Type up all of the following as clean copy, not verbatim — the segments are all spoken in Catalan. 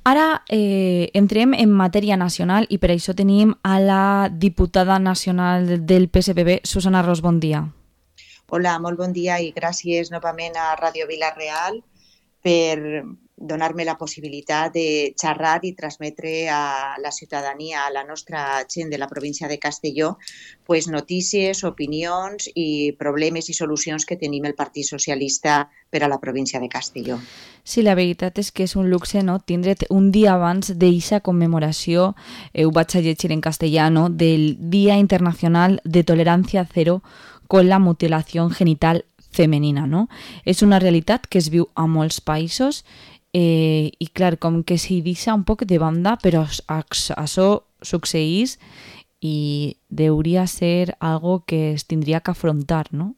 Ara entrem en matèria nacional i per això tenim a la diputada nacional del PSPB, Susana Ros, bon dia. Hola, molt bon dia i gràcies novament a Ràdio Vila-real per donar-me la possibilitat de xerrar i transmetre a la ciutadania, a la nostra gent de la província de Castelló, pues, notícies, opinions i problemes i solucions que tenim el Partit Socialista per a la província de Castelló. Sí, la veritat és que és un luxe, no?, tindre't un dia abans d'eixa commemoració, ho vaig a llegir en castellà, no?, del Dia Internacional de Tolerancia Cero con la Mutilación Genital Femenina, no? És una realitat que es viu a molts països i, clar, com que s'hi deixa un poc de banda, però això succeeix i hauria ser algo que es tindria que afrontar, no?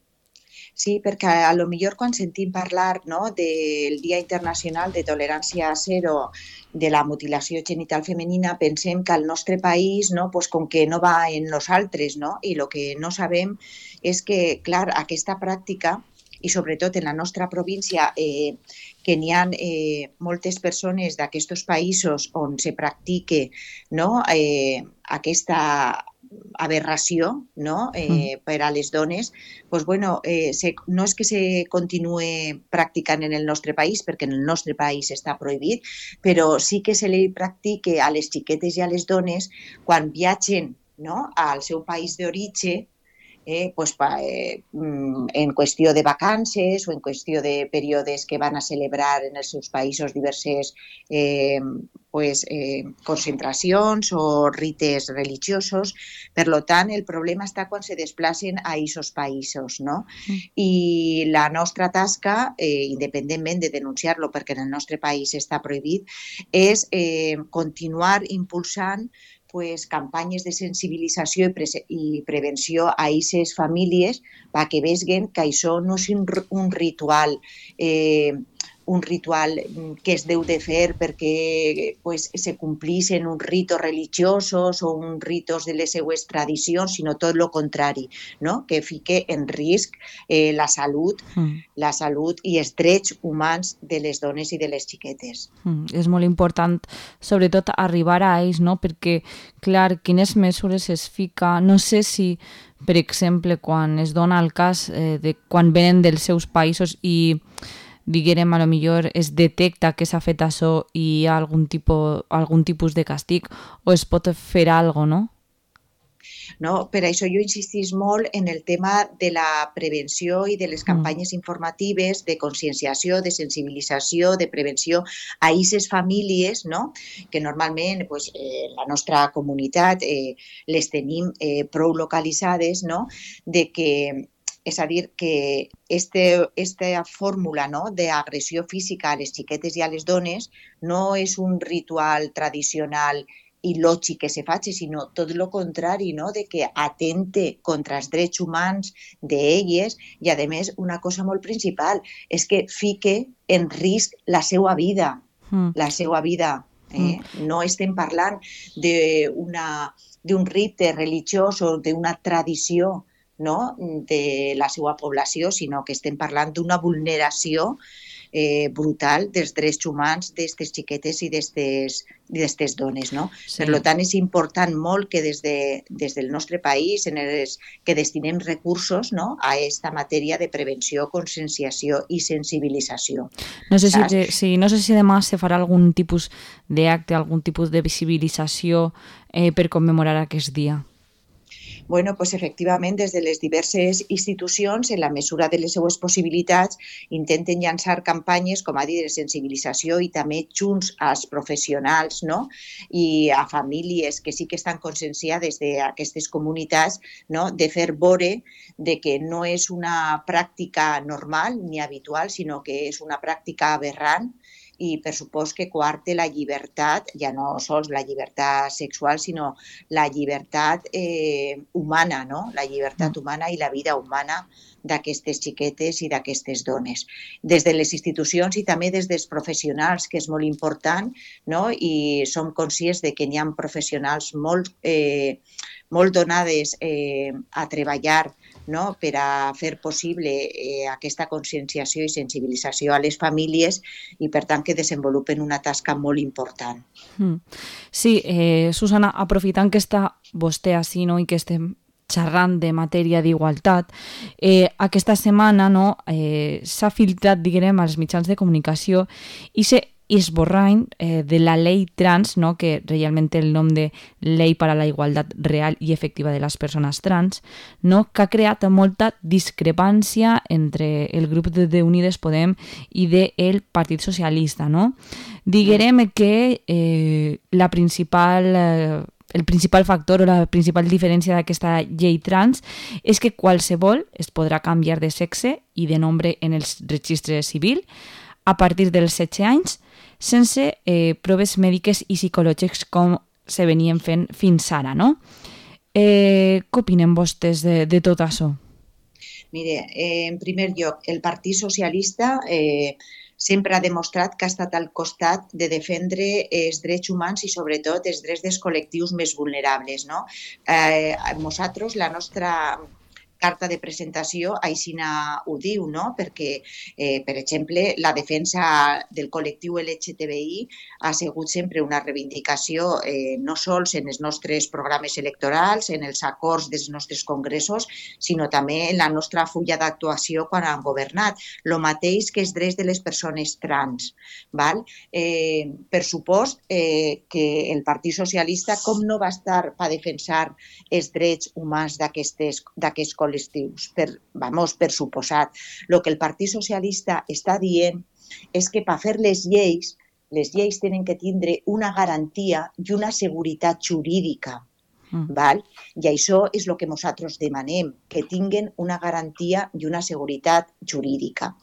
Sí, perquè a lo millor quan sentim parlar, no, del Dia Internacional de Tolerància Zero de la mutilació genital femenina, pensem que al nostre país, no, pues, com que no va en nosaltres, no? I el que no sabem és que, clar, aquesta pràctica, i sobretot en la nostra província, que n'hi ha moltes persones d'aquests països on se practica, no, aquesta aberració, no, per a les dones, pues, bueno, no és que se continuï practicant en el nostre país, perquè en el nostre país està prohibit, però sí que se li practica a les xiquetes i a les dones quan viatgen, no, al seu país d'origen, pues, en qüestió de vacances o en qüestió de períodes que van a celebrar en els seus països diverses concentracions o rites religiosos. Per tant, el problema està quan se desplacen a aquests països, no? I la nostra tasca, independentment de denunciar-lo perquè en el nostre país està prohibit, és continuar impulsant, pues, campanyes de sensibilització i prevenció a aquestes famílies perquè vegin que això no és un ritual que es deu de fer perquè, pues, se complixen uns ritos religiosos o uns ritos de les seues tradicions, sinó tot el contrari, no? Que fique en risc la salut i els drets humans de les dones i de les xiquetes. És molt important, sobretot, arribar a ells, no? Perquè, clar, quines mesures es fica... No sé si, per exemple, quan es dona el cas de quan venen dels seus països i diguem, a lo millor es detecta que s'ha fet això i hi ha algun tipus de castig o es pot fer alguna cosa, no? No, per això jo insistís molt en el tema de la prevenció i de les campanyes informatives de conscienciació, de sensibilització, de prevenció a aquestes famílies, no? Que normalment, pues, la nostra comunitat les tenim prou localitzades, no? De que, és a dir, que aquesta fórmula, no, d'agressió física a les xiquetes i a les dones no és un ritual tradicional i lògic que se faci, sinó tot el contrari, no? De que atente contra els drets humans d'elles i, a més, una cosa molt principal és que fique en risc la seva vida, la seva vida. No estem parlant d'un rite religiós o d'una tradició, no, de la seva població, sinó que estem parlant d'una vulneració brutal dels drets humans d'aquestes xiquetes i d'aquestes dones, no? Sí. Per tant, és important molt que des del nostre país que destinem recursos, no, a aquesta matèria de prevenció, conscienciació i sensibilització. No sé si demà se farà algun tipus d'acte, algun tipus de visibilització per commemorar aquest dia. Bueno, pues efectivament, des de les diverses institucions, en la mesura de les seues possibilitats, intenten llançar campanyes, com a dir, de sensibilització i també junts als professionals, no? I a famílies que sí que estan conscienciades d'aquestes comunitats, no? De fer veure de que no és una pràctica normal ni habitual, sinó que és una pràctica aberrant i, per supost, que coarte la llibertat, ja no sols la llibertat sexual, sinó la llibertat humana, no? La llibertat humana i la vida humana d'aquestes xiquetes i d'aquestes dones. Des de les institucions i també des dels professionals, que és molt important, no? I som conscients de que n'hi ha professionals molt donades a treballar, no? Per a fer possible aquesta conscienciació i sensibilització a les famílies i, per tant, que desenvolupen una tasca molt important. Sí, Susana, aprofitant que està vostè així, no? I que estem xerrant de matèria d'igualtat, aquesta setmana, no, s'ha filtrat, diguem, als mitjans de comunicació i esborrany de la llei trans, no, que realment té el nom de Llei per a la Igualtat Real i Efectiva de les Persones Trans, no, que ha creat molta discrepància entre el grup de Unides Podem i del Partit Socialista. No? Diguem que el principal factor o la principal diferència d'aquesta llei trans és que qualsevol es podrà canviar de sexe i de nombre en el registre civil a partir dels 16 anys sense proves mèdiques i psicològiques com se venien fent fins ara, no? Què opinen vostès de tot això? Mire, en primer lloc, el Partit Socialista sempre ha demostrat que ha estat al costat de defendre els drets humans i sobretot els drets dels col·lectius més vulnerables. No? Nosaltres, la nostra carta de presentació així ho diu, no? Perquè, per exemple, la defensa del col·lectiu LGTBI ha sigut sempre una reivindicació no sols en els nostres programes electorals, en els acords dels nostres congressos, sinó també en la nostra fulla d'actuació quan han governat. El mateix que els drets de les persones trans. Val? Per supost que el Partit Socialista com no va estar per defensar els drets humans d'aquests col·lectius, per suposat. El que el Partit Socialista està dient és que per fer les lleis tenen que tindre una garantia i una seguretat jurídica. Val? I això és el que nosaltres demanem, que tinguen una garantia i una seguretat jurídica.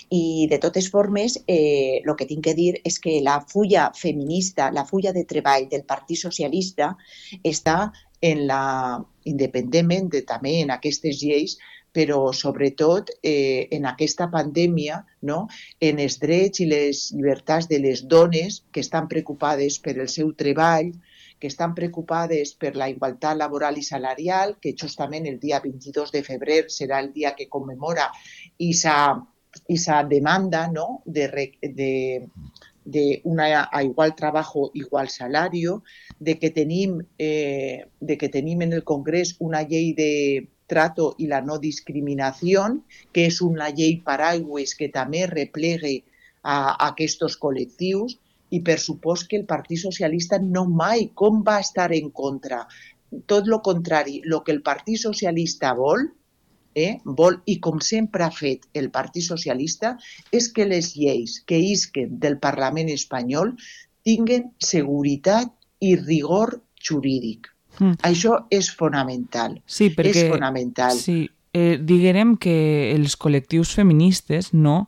I de totes formes, el que tinc que dir és que la fulla feminista, la fulla de treball del Partit Socialista està independentment també en aquestes lleis, però sobretot en aquesta pandèmia, no? En els drets i les llibertats de les dones que estan preocupades per el seu treball, que estan preocupades per la igualtat laboral i salarial, que justament el dia 22 de febrer serà el dia que commemora esa demanda, no? de a igual trabajo, igual salario, de que tenim en el Congrés una llei de trato i la no discriminació, que és una llei paraigües que també replegue a aquests col·lectius, i per supost que el Partit Socialista no mai, com va estar en contra? Tot el contrari, el que el Partit Socialista vol, i com sempre ha fet el Partit Socialista, és que les lleis que isquen del Parlament espanyol tinguen seguretat i rigor jurídic. Això és fonamental. Sí, perquè, és fonamental. Sí, diguem que els col·lectius feministes, no,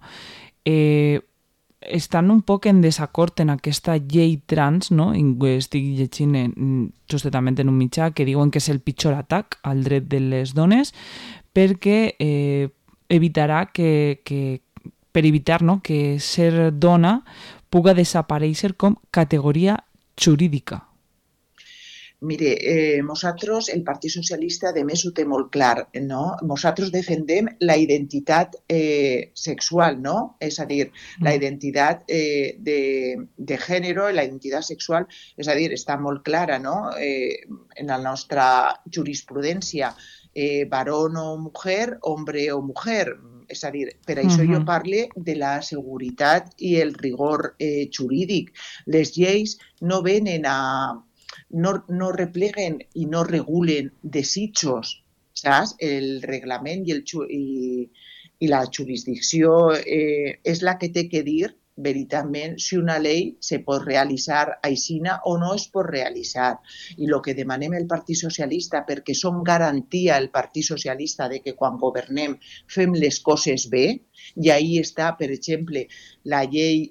estan un poc en desacord en aquesta llei trans, no? Estic llegint justament en un mitjà que diuen que és el pitjor atac al dret de les dones perquè evitarà per evitar, no, que ser dona puga desaparèixer com categoria jurídica. Mire, nosaltres, el Partit Socialista, a més, ho té molt clar, no? Nosaltres defendem la identitat sexual, no? És a dir, la identitat de gènere, la identitat sexual, és a dir, està molt clara, no? En la nostra jurisprudència, varón o mujer, hombre o mujer. És a dir, per això jo parlo de la seguretat i el rigor jurídic. Les lleis no venen no repleguen i no regulen desitjos, saps? El reglament i la jurisdicció és la que té que dir veritablement si una llei se pot realitzar aixina o no es pot realitzar. I el que demanem el Partit Socialista, perquè som garantia el Partit Socialista de que quan governem fem les coses bé, i ahí està, per exemple, la llei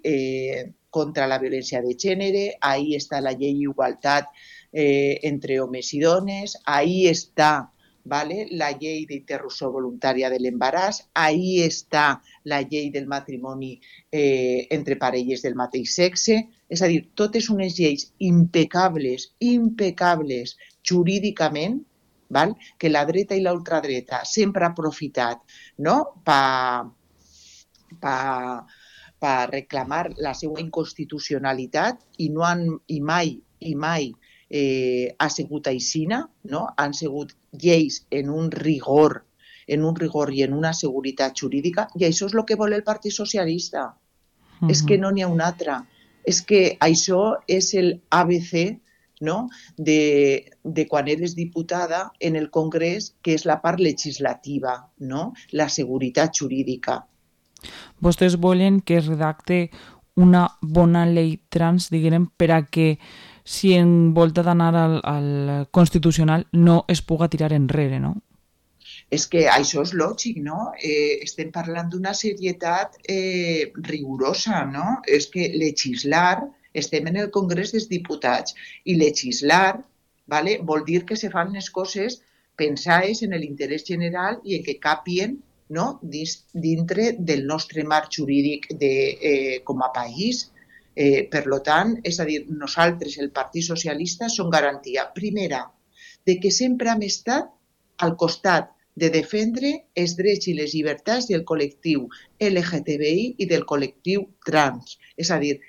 contra la violència de gènere, ahí està la llei d'igualtat entre homes i dones, ahí està ¿vale? La llei d'interrupció voluntària de l'embaràs, ahí està la llei del matrimoni entre parelles del mateix sexe, és a dir, totes unes lleis impecables, jurídicament, val? Que la dreta i l'ultradreta sempre ha aprofitat, no? per reclamar la seva inconstitucionalitat i no han mai ha sigut aixina, no? Han sigut lleis en un rigor i en una seguretat jurídica, i això és el que vol el Partit Socialista. És que no n'hi ha una altra. És que això és el ABC, no? de quan eres diputada en el Congrés, que és la part legislativa, no? La seguretat jurídica. Vostès volen que es redacte una bona llei trans, diguem, per a que si en volta d'anar al Constitucional no es puga tirar enrere, no? És que això és lògic, no? Estem parlant d'una serietat rigorosa, no? És que legislar, estem en el Congrés dels Diputats, i legislar, ¿vale? Vol dir que se fan les coses pensades en l'interès general i en que capien, no? Dintre del nostre marc jurídic com a país. Per tant, és a dir, nosaltres, el Partit Socialista, som garantia, primera, de que sempre hem estat al costat de defendre els drets i les llibertats del col·lectiu LGTBI i del col·lectiu trans. És a dir,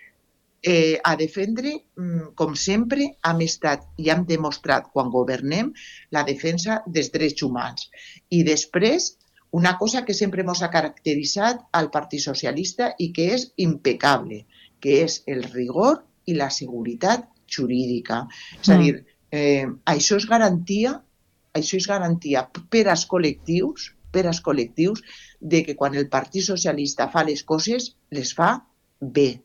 a defendre, com sempre, hem estat i hem demostrat quan governem la defensa dels drets humans. I després, una cosa que sempre ens ha caracteritzat al Partit Socialista i que és impecable, que és el rigor i la seguretat jurídica. És a dir, això és garantia per als col·lectius, de que quan el Partit Socialista fa les coses, les fa bé.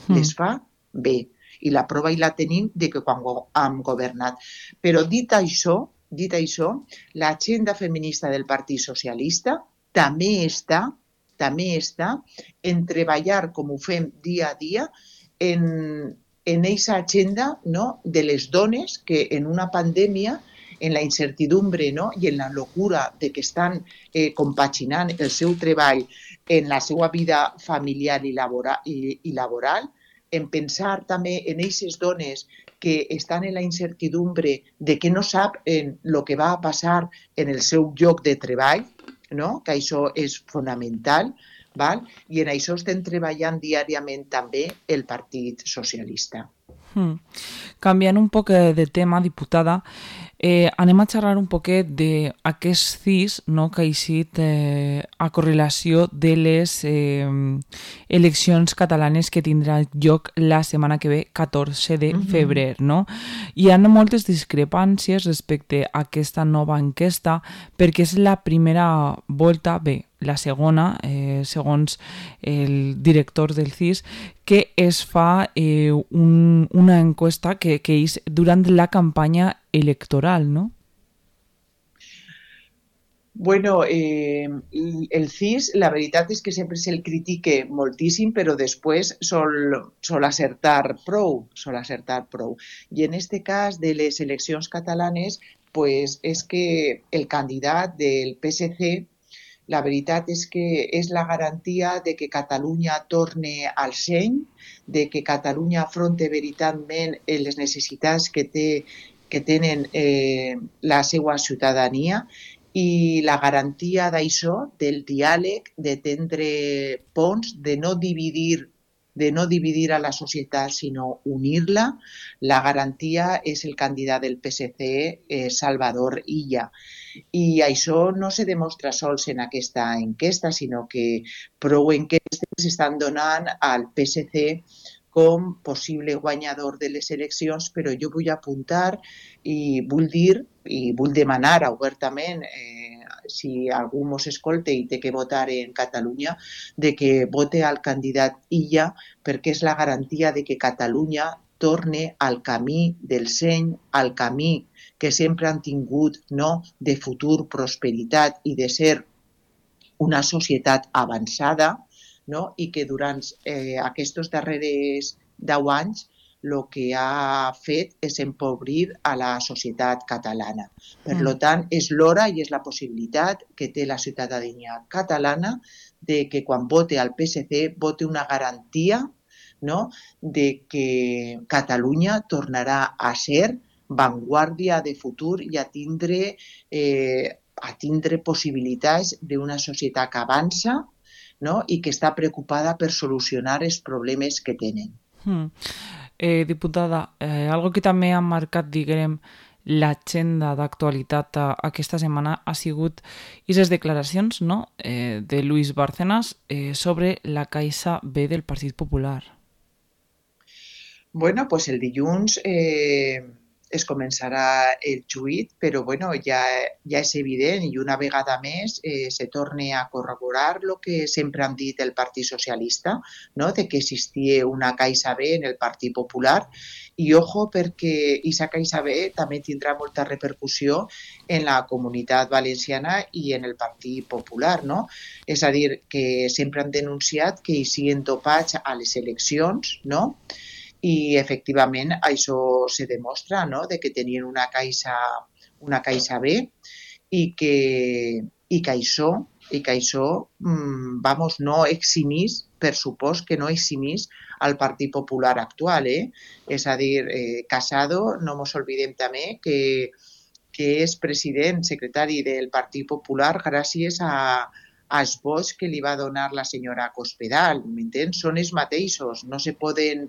Les fa bé. I la prova i la tenim de que quan hem governat. Però dit això, l'agenda feminista del Partit Socialista també està en treballar, com ho fem dia a dia, en aquesta agenda, no? De les dones que en una pandèmia, en la incertidumbre, no? I en la locura de que estan compaginant el seu treball en la seva vida familiar i laboral, en pensar també en aquestes dones que estan en la incertidumbre de que no saben el que va a passar en el seu lloc de treball, no? Que això és fonamental, val? I en això estem treballant diàriament també el Partit Socialista. Canviant un poc de tema, diputada, anem a xerrar un poquet d'aquest CIS, no, que ha eixit a correlació de les eleccions catalanes que tindrà lloc la setmana que ve, 14 de febrer. No? Hi ha moltes discrepàncies respecte a aquesta nova enquesta perquè és la primera volta, la segona, segons el director del CIS, que es fa una encuesta que és durant la campanya electoral, ¿no? Bueno, el CIS, la veritat és que sempre se'l critique moltíssim, però després sol acertar prou. I en este cas de les eleccions catalanes, pues és que el candidat del PSC, la veritat és que és la garantia de que Catalunya torne al seny, de que Catalunya afronte veritablement les necessitats que tenen la seva ciutadania, i la garantia d'això, del diàleg, de tendre ponts, de no dividir a la societat, sinó unir-la, la garantia és el candidat del PSC, Salvador Illa. I això no se demostra sols en aquesta enquesta, sinó que prou enquestes estan donant al PSC com possible guanyador de les eleccions, però jo vull apuntar i vull dir i vull demanar obertament, si algú mos escolta i té que votar en Catalunya, de que vote al candidat Illa, perquè és la garantia de que Catalunya torne al camí del seny, al camí que sempre han tingut, no? De futur, prosperitat i de ser una societat avançada, no? I que durant aquests darrers 10 anys el que ha fet és empobrir a la societat catalana. Per tant, és l'hora i és la possibilitat que té la ciutadania catalana de que quan vote al PSC vote una garantia, no?, de que Catalunya tornarà a ser vanguardia de futur i a tindre possibilitats d'una societat que avança, no?, i que està preocupada per solucionar els problemes que tenen. Diputada, algo que també ha marcat, diguem, l'agenda d'actualitat aquesta setmana ha sigut aquestes declaracions, no?, de Luis Bárcenas sobre la Caixa B del Partit Popular. Bueno, pues el dilluns es començarà el juit, però bueno, ja és evident i una vegada més se torna a corroborar el que sempre han dit el Partit Socialista, no?, de que existia una Caixa B en el Partit Popular i ojo perquè aquesta Caixa B també tindrà molta repercussió en la comunitat valenciana i en el Partit Popular, no? És a dir, que sempre han denunciat que hi siguin topats a les eleccions, no?, i efectivament això se demostra, no?, de que tenien una caixa B i que això no eximís, per supost que no eximís al Partit Popular actual. És a dir, Casado, no ens oblidem també que és president, secretari del Partit Popular gràcies als vots que li va donar la senyora Cospedal, m'entens? Són els mateixos, no se poden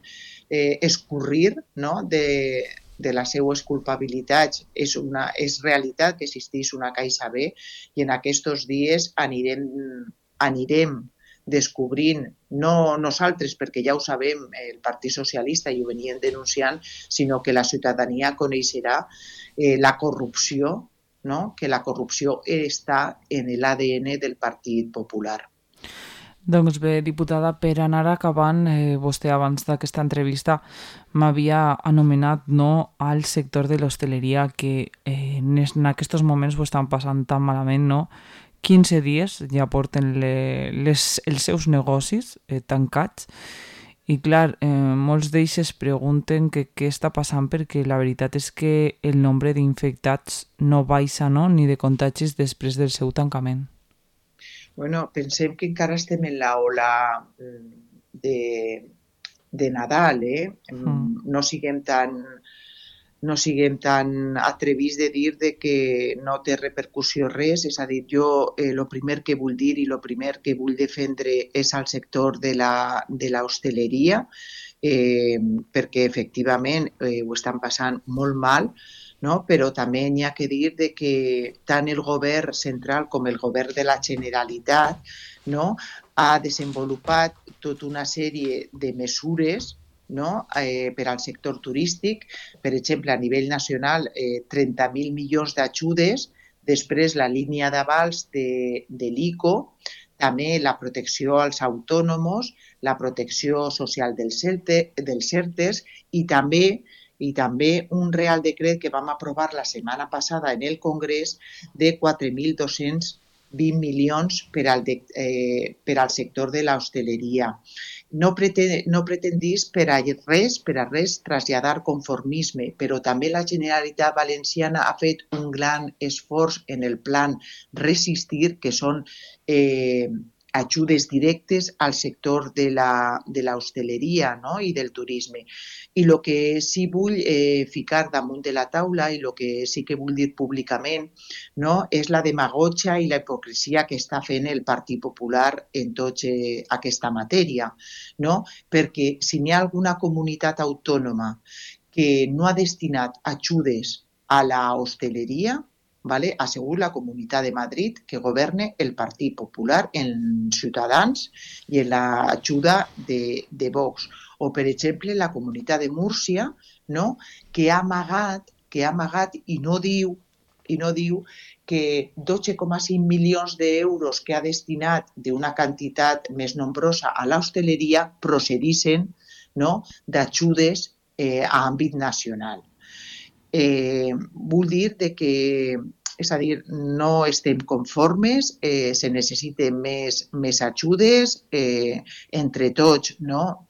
escurrir, no?, de les seues culpabilitats. És realitat que existeix una Caixa B i en aquests dies anirem descobrint, no nosaltres, perquè ja ho sabem, el Partit Socialista i ho venien denunciant, sinó que la ciutadania coneixerà la corrupció, no?, que la corrupció està en l'ADN del Partit Popular. Doncs bé, diputada, per anar acabant, vostè abans d'aquesta entrevista m'havia anomenat, no, al sector de l'hostaleria que en aquests moments ho estan passant tan malament, no? 15 dies ja porten els seus negocis tancats i clar, molts d'ells es pregunten què està passant perquè la veritat és que el nombre d'infectats no baixa, no?, ni de contagis després del seu tancament. Bueno, pensem que encara estem en l'ola de Nadal, No siguem tan atrevits de dir que no té repercussió res. És a dir, jo el primer que vull dir i el primer que vull defendre és al sector de l'hostaleria, perquè efectivament ho estan passant molt mal, no? Però també n'hi ha que dir que tant el govern central com el govern de la Generalitat, no?, ha desenvolupat tota una sèrie de mesures, no?, per al sector turístic. Per exemple, a nivell nacional, 30.000 milions d'ajudes, després la línia d'avals de l'ICO, també la protecció als autònoms, la protecció social dels ERTEs i també un Real Decret que vam aprovar la setmana passada en el Congrés de 4.220 milions per al sector de l'hostaleria. No pretendís per a res traslladar conformisme, però també la Generalitat Valenciana ha fet un gran esforç en el plan Resistir, que són ajudes directes al sector de l'hostaleria, no?, i del turisme. I el que sí vull ficar damunt de la taula i el que sí que vull dir públicament, no?, és la demagògia i la hipocresia que està fent el Partit Popular en tota aquesta matèria, no? Perquè si n'hi ha alguna comunitat autònoma que no ha destinat ajudes a la hostaleria, ha sigut la Comunitat de Madrid, que governa el Partit Popular en Ciutadans i en l'ajuda de Vox. O, per exemple, la Comunitat de Múrcia, no?, que ha amagat i no diu que 12,5 milions d'euros que ha destinat d'una quantitat més nombrosa a l'hostaleria procedissin, no?, d'ajudes a àmbit nacional. Vull dir que, és a dir, no estem conformes, se necessiten més ajudes, entre tots, no?,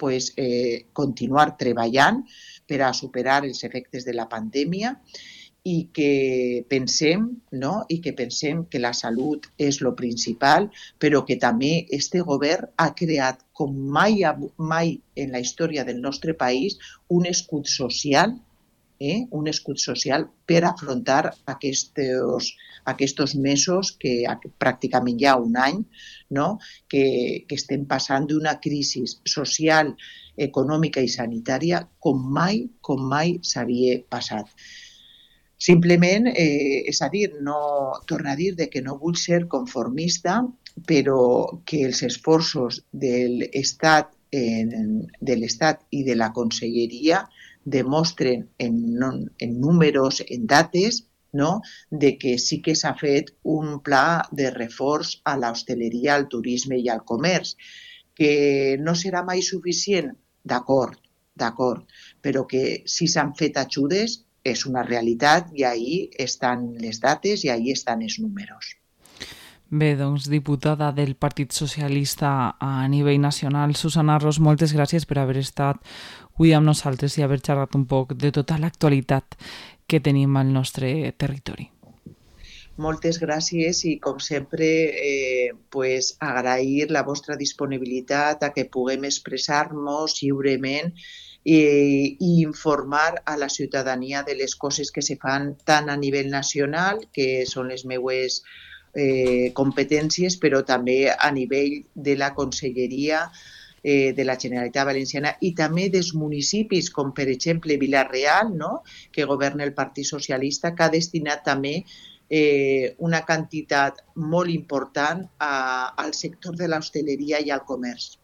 continuar treballant, per a superar els efectes de la pandèmia i que pensem, no? I que pensem que la salut és lo principal, però que també este govern ha creat com mai en la història del nostre país un escut social, un escut social per afrontar aquests mesos, que pràcticament ja un any, no? que estem passant d'una crisi social, econòmica i sanitària com mai s'havia passat. Simplement, és a dir, tornar a dir que no vull ser conformista, però que els esforços de l'Estat i de la Conselleria demostren en números, en dates, no? De que sí que s'ha fet un pla de reforç a l'hostaleria, al turisme i al comerç, que no serà mai suficient, d'acord, però que si s'han fet ajudes és una realitat i ahí estan les dates i ahí estan els números. Bé, doncs, diputada del Partit Socialista a nivell nacional, Susana Ros, moltes gràcies per haver estat avui amb nosaltres i haver xerrat un poc de tota l'actualitat que tenim al nostre territori. Moltes gràcies i, com sempre, agrair la vostra disponibilitat a que puguem expressar-nos lliurement i informar a la ciutadania de les coses que se fan tant a nivell nacional, que són les meues competències, però també a nivell de la Conselleria de la Generalitat Valenciana i també dels municipis, com per exemple Vila-real, no? Que governa el Partit Socialista, que ha destinat també una quantitat molt important al sector de l'hostaleria i al comerç.